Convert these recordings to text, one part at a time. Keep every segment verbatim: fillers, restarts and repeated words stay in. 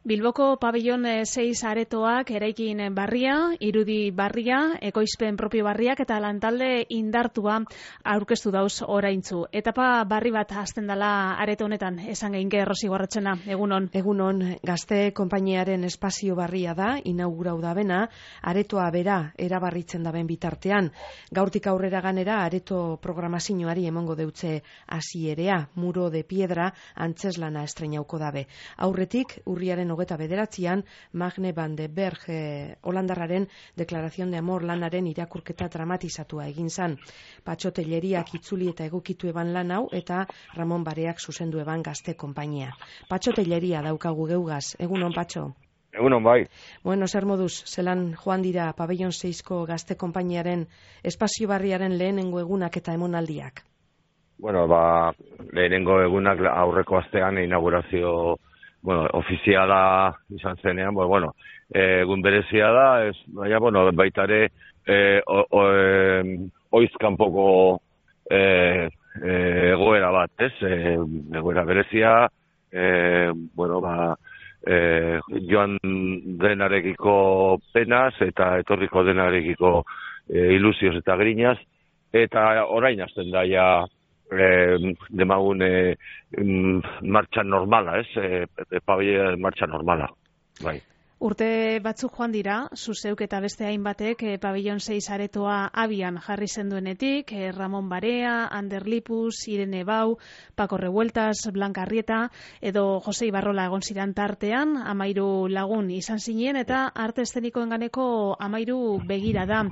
Bilboko pabellon seis aretoak eraikin barria, irudi barria, ekoizpen propio barriak eta lantalde indartua aurkeztu dauz oraintzu. Etapa barri bat hasten dela areto honetan, esan geinke Rosi Gorratxena, egunon. Egunon, Gazte konpainiaren espazio barria da, inaugurau da bena, aretoa bera erabarritzen daben bitartean. Gaurtik aurrera ganera areto programazioari emongo deutze hasierea, Muro de Piedra antzeslana estrenauko dabe. Aurretik, urriaren hogeta bederatzean, Magne van de Berg eh, holandarraren Deklarazion de Amor lanaren irakurketa dramatizatua egin zan. Patxo Telleriak itzuli eta egokitu eban lan hau eta Ramon Bareak zuzendu eban Gazte konpainia. Patxo Telleria daukagu geugaz. Egunon, Patxo? Egunon, bai. Bueno, zer moduz, zelan joan dira pabellon seizko Gazte konpainiaren espazio barriaren lehenengo egunak eta emonaldiak? Bueno, ba, lehenengo egunak aurreko astean inaugurazio bueno, ofiziala izan zenean, bueno, bueno egun berezia da, ez, baina, bueno, baita ere, e, e, oizkanpoko e, e, egoera bat, ez, e, egoera berezia, e, bueno, ba, e, joan denarekiko penaz eta etorriko denarekiko e, ilusioz eta grinaz, eta orain hasten da ja, Eh, demagun eh, martxan normala, ez? Eh, pabellon martxan normala, bai. Urte batzuk joan dira, zuzeuk eta beste hainbatek eh, pabellon seis aretoa abian jarri zenduenetik, eh, Ramon Barea, Ander Lipus, Irene Bau, Paco Revueltas, Blanca Arrieta, edo Jose Ibarrola egon ziren tartean, amairu lagun izan zinen, eta arte eszenikoen ganeko amairu begira da.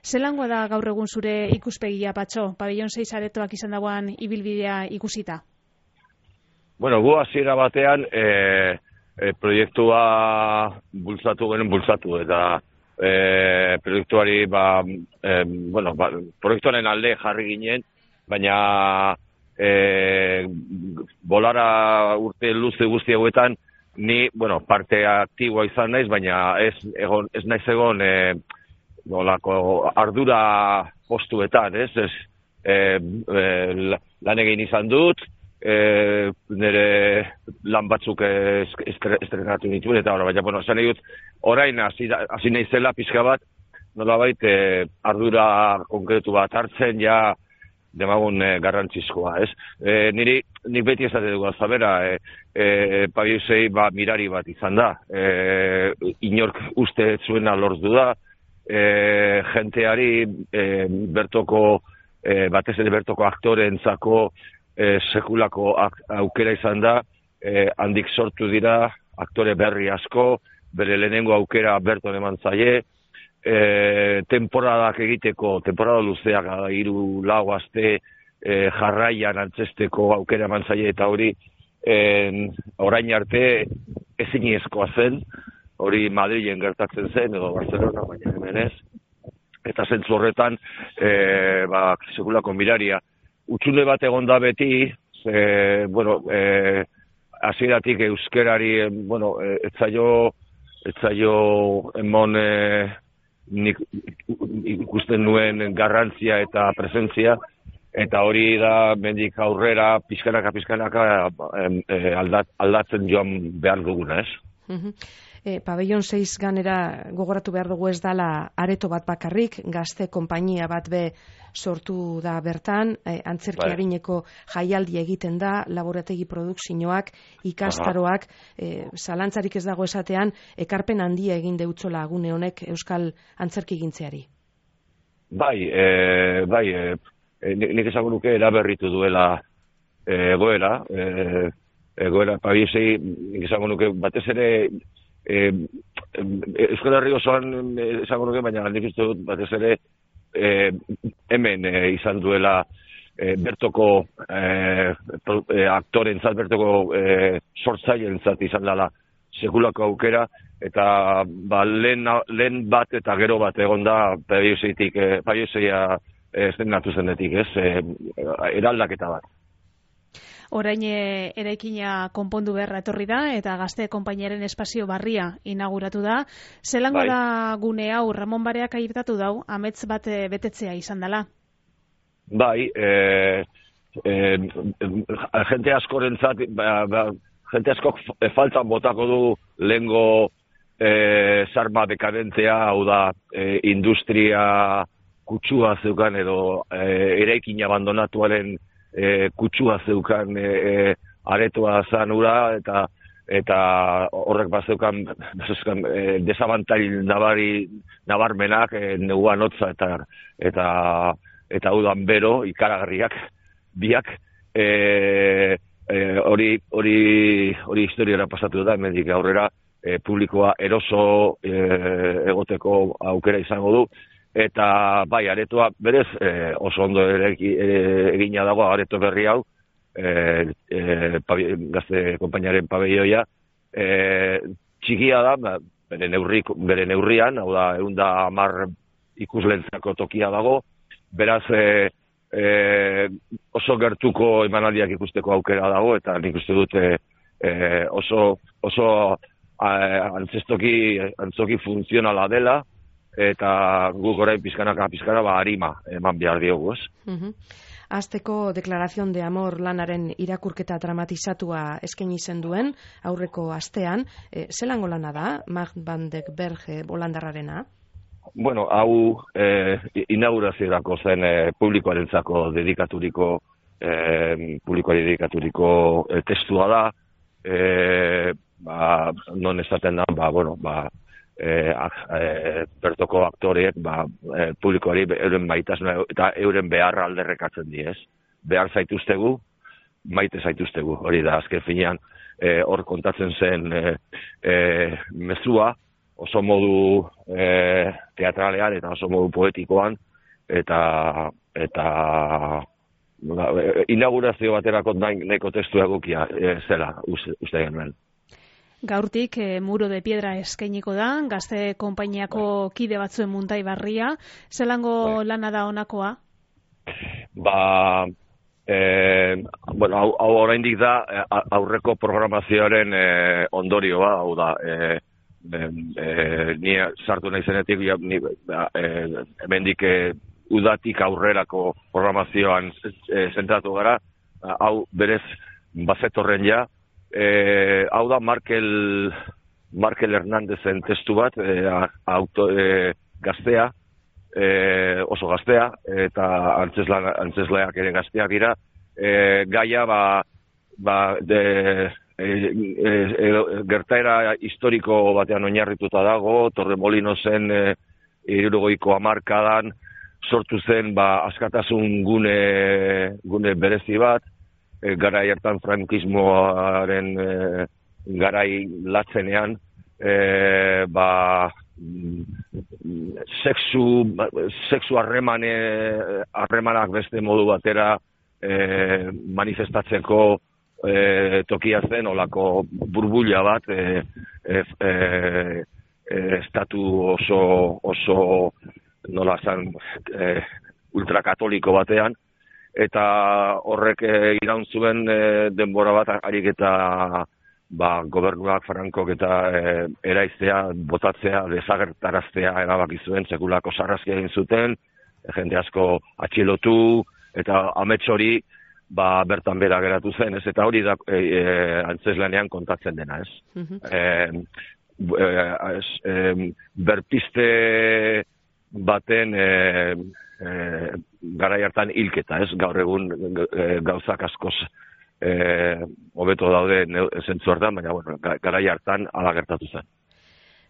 Zelangoa da gaur egun zure ikuspegia, Patxo, pabellon seis aretoak izan dagoan ibilbidea ikusita? Bueno, gu hasiera batean, eh, E, proiektua bultzatu genen bultzatu eta e, proiektuari ba, e, bueno, ba, proiektuaren alde jarri ginen, baina e, bolara urte luze guzti hauetan ni, bueno, parte aktiboa izan naiz, baina ez, egon, ez naiz egon e, bolako ardura postuetan, ez, ez e, e, lan egin izan dut, E, nire lan batzuk estrenatu nituen, eta baina, bueno, esan egin dut, orain hasi naizela pixka bat, nolabait e, ardura konkretu bat hartzen, ja, demagun e, garrantzizkoa, ez? E, niri, nik beti esate dugu azabera, e, e, pabelloi ba, mirari bat izan da, e, inork uste zuena lortu da, e, jenteari e, bertoko, e, batez ere bertoko aktoreentzako, E, sekulako aukera izan da, e, handik sortu dira aktore berri asko, bere lehenengo aukera berton eman zaie, e, temporadak egiteko, temporada luzeak, hiru lau aste e, jarraian antzesteko aukera eman zaie, eta hori e, orain arte eziniezkoa zen, hori Madrilen gertatzen zen, edo Barcelona, baina hemen ez, eta zentzu horretan, e, ba, sekulako miraria, utxune bat egon da beti, e, bueno, e, hasieratik euskerari, bueno, e, etzaio, etzaio emon e, nik, ikusten nuen garrantzia eta presentzia, eta hori da mendik aurrera, pizkanaka, pizkanaka e, aldat, aldatzen joan behar duguna, ez? Uh-huh. E, pabellon seis ganera gogoratu behar dugu ez dala areto bat bakarrik, Gazte konpainia bat be sortu da bertan, e, antzerki harineko jaialdi egiten da, laborategi produkzioak, ikastaroak, e, zalantzarik ez dago esatean, ekarpen handia egin deutzola gune honek euskal antzerki gintzeari. Bai, e, bai, e, nik esango nuke eraberritu duela e, egoera, e, egoera pabelloi, nik esango nuke batez ere, E, Euskal Herri osoan esango nuke, baina nik uste dut batez ere e, hemen e, izan duela e, bertoko e, e, aktorentzat, bertoko e, sortzailentzat izan dela sekulako aukera, eta ba, lehen, lehen bat eta gero bat egon da pabelloitik, e, pabelloia estrenatu zenetik, ez, e, eraldaketa bat. Orain eraikina konpondu beharra etorri da eta Gazte konpainiaren espazio barria inauguratu da. Zelango bai. Da gune hau, Ramon Bareak airtatu dau, amets bat betetzea izan dela? Bai, e, e, jente askorentzat ba, ba, jente askok faltan botako du lehengo e, sarma dekadentea, hau da, e, industria kutsua zeukan edo e, eraikin abandonatuaren e, kutsua zeukan e, e, aretoa zanura, eta eta horrek bazeukan e, desabantail nabari, nabarmenak e, neuan hotza eta eta eta udan bero, ikaragarriak, biak, e, e, hori hori hori historiara pasatu da, hemendik aurrera e, publikoa eroso e, egoteko aukera izango du, eta bai, aretoa berez e, oso ondo ere, e, egina dago areto berri hau, E, e, pabi, gazte konpainaren pabelloia, e, txikia da, bere, neurri, bere neurrian, hau da, egun da hamar ikuslentzako tokia dago, beraz e, e, oso gertuko emanaldiak ikusteko aukera dago, eta nik uste dute e, oso, oso a, antzestoki, antzoki funtzionala dela, eta guk orain pizkanaka pizkana ba harima eman behar diogu, ez? Uh-huh. Azteko deklarazion de amor lanaren irakurketa dramatizatua eskaini zen duen aurreko astean, e, zelango lana da, Macht van den Berge holandarrarena? Bueno, hau eh, inauguraziorako zen eh, publikoarentzako dedikaturiko eh, publikoari dedikaturiko eh, testua da, eh, ba, non esaten da, ba, bueno, ba, Eh, eh, bertoko aktoreek ba, eh, publikoari euren maitasuna eta euren beharra alderrekatzen di, ez? Behar zaituztegu, maite zaituztegu, hori da, azken finean eh, hor kontatzen zen eh, eh, mezua, oso modu eh, teatralean eta oso modu poetikoan, eta eta ba, inaugurazio baterako nahiko testu egokia eh, zela, uste, uste genuen. Gaurtik e, Muro de Piedra eskainiko da, gazte konpainiako kide batzuen muntai barria. Zelango lana da honakoa? Ba, e, bueno, hau, hau oraindik da aurreko programazioaren e, ondorioa, hau da, e, e, e, ni sartu nahi zenetik, ja, ni, e, hemendik e, udatik aurrerako programazioan e, zentratu gara, hau berez bazetorren ja. Eh, hau da Markel, Markel Hernandezen testu bat, eh, auto, eh, gaztea, eh, oso gaztea, eta antzesla, antzesleak ere gazteak dira, eh, gaia ba, ba de, eh, eh, gertaera historiko batean oinarrituta dago, Torremolinosen eh, hirurogeiko hamarkadan sortu zen ba, askatasun gune, gune berezi bat, garai hartan frankismoaren e, garai latzenean e, ba sexu sexu harremane harremanak beste modu batera e, manifestatzeko e, tokia zen olako burbuila bat e, e, e, estatu oso oso nola zan e, ultrakatoliko batean, eta horrek e, iraun zuen e, denbora bat harik eta ba, gobernuak Frankok eta e, eraiztea, botatzea, desagertaraztea erabaki zuen, sekulako sarrazkia egin zuten, e, jende asko atxilotu, eta amets hori ba, bertan bera geratu zen, ez, eta hori da e, e, antzeslanean kontatzen dena, ez. Uh-huh. e, e, e, berpiste baten e, E, garai hartan hilketa, ez, gaur egun e, gauzak askoz e, hobeto daude zentzu hartan, baina bueno, garai hartan hala gertatu zen.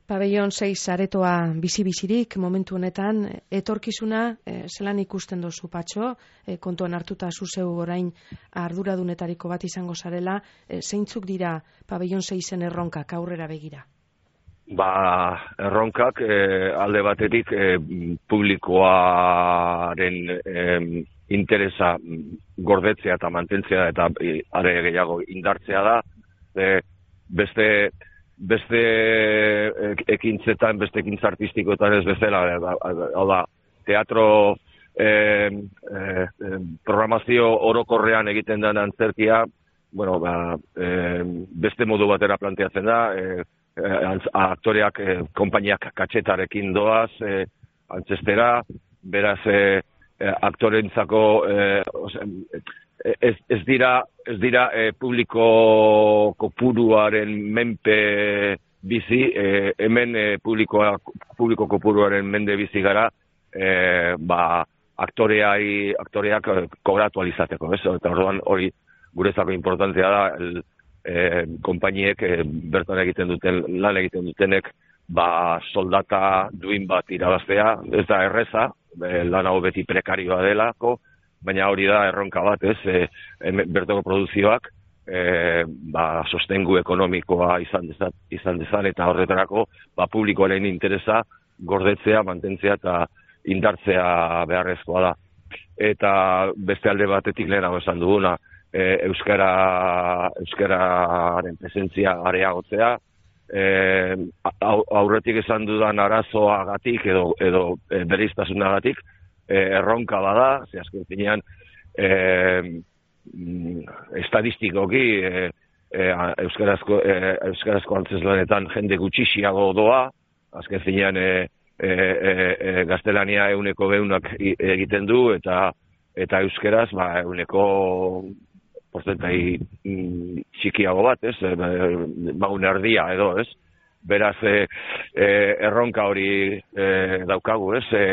Pabellon sei aretoa bizi-bizirik momentu honetan, etorkizuna e, zelan ikusten dozu Patxo, e, kontuan hartuta zuzeu orain arduradunetariko bat izango zarela, e, zeintzuk dira Pabellon seisen erronkak aurrera begira? Ba, erronkak eh, alde batetik eh, publikoaren eh, interesa gordetzea eta mantentzea eta eh, are gehiago indartzea da. Eh, beste beste ekintzetan, beste ekintza artistikoetan ez bezala, hau da, teatro eh, eh, programazio orokorrean egiten den antzerkia, bueno, ba, eh, beste modu batera planteatzen da, eh, aktoreak, eh, konpainiak katxetarekin doaz, eh, antzestera, beraz eh, aktorentzako eh, ez, ez dira, ez dira e, publiko kopuruaren menpe bizi, e, hemen e, publikoa, publiko kopuruaren mende bizi gara, e, ba, aktoreai, aktoreak kobratu alizateko, ez? Eta orduan hori guretzako importantea da, el, e, konpainiek e, bertan egiten duten, lan egiten dutenek, ba, soldata duin bat irabaztea, ez da erreza, e, lan hau beti prekarioa delako, baina hori da erronka bat, ez, e, bertoko produzioak, e, ba, sostengu ekonomikoa izan dezan, izan dezan eta horretarako, ba, publikoaren interesa gordetzea, mantentzea eta indartzea beharrezkoa da. Eta beste alde batetik lehenago esan duguna, e, euskara, euskararen presentzia areagotzea, e, aurretik esan dudan arazoagatik edo, edo e, bereiztasunagatik, e, erronka bada, ze azken finean, e, estadistikoki e, e, euskarazko, e, euskarazko antzeslanetan jende gutxixiago doa, azken finean e, e, e, gaztelania euneko behunak egiten du, eta eta euskeraz ba, euneko porzentai txikiago bat, ez? Bagun erdia edo, ez? Beraz, e, e, erronka hori e, daukagu, ez? E,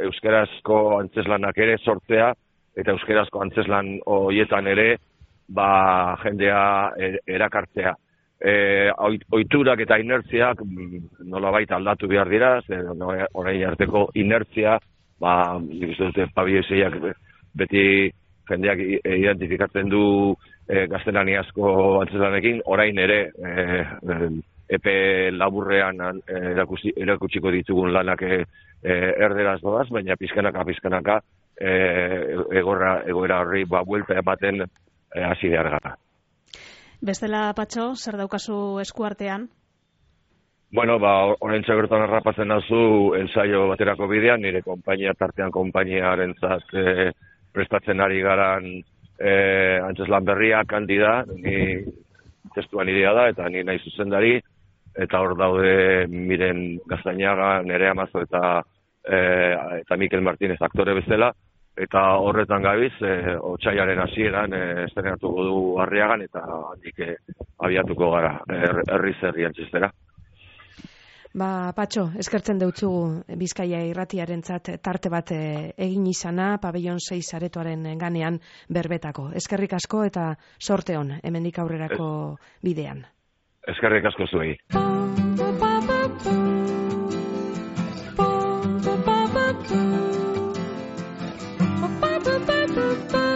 euskerazko antzeslanak ere sortzea, eta euskerazko antzeslan horietan ere, ba, jendea erakartzea. E, oiturak eta inertziak nolabait aldatu behar dira, orain arteko inertzia, ba, nik uste dute pabieseiak beti jendeak identifikatzen du e, gaztelaniazko antzeslanekin, orain ere e, epe laburrean erakusi, erakutsiko ditugun lanak e, erderaz doaz, baina pizkanaka, pizkanaka e, egorra, egoera horri ba, buelta ematen hasi e, behar gara. Bestela, Patxo, zer daukazu eskuartean? Bueno, ba, orain txagertan errapatzen nazu ensaio baterako bidean, nire konpainia tartean konpainiaren zat e, prestatzen ari garan e, antzeslan berria kandida, ni testuan idea da, eta ni nahi zuzendari, eta hor daude Miren Gaztainaga, Nerea Mazo eta, e, eta Mikel Martínez aktore bezala, eta horretan gabiz, e, otsailaren hasieran e, estrenatuko du Arriagan, eta handik e, abiatuko gara er, herri zerri antzestera. Ba, Patxo, eskertzen deutzu Bizkaia irratiarentzat tarte bat egin izana, pabellon seis aretoaren ganean berbetako. Eskerrik asko eta sorte on, hemendik aurrerako bidean. Eskerrik asko zuei. Ba ba ba ba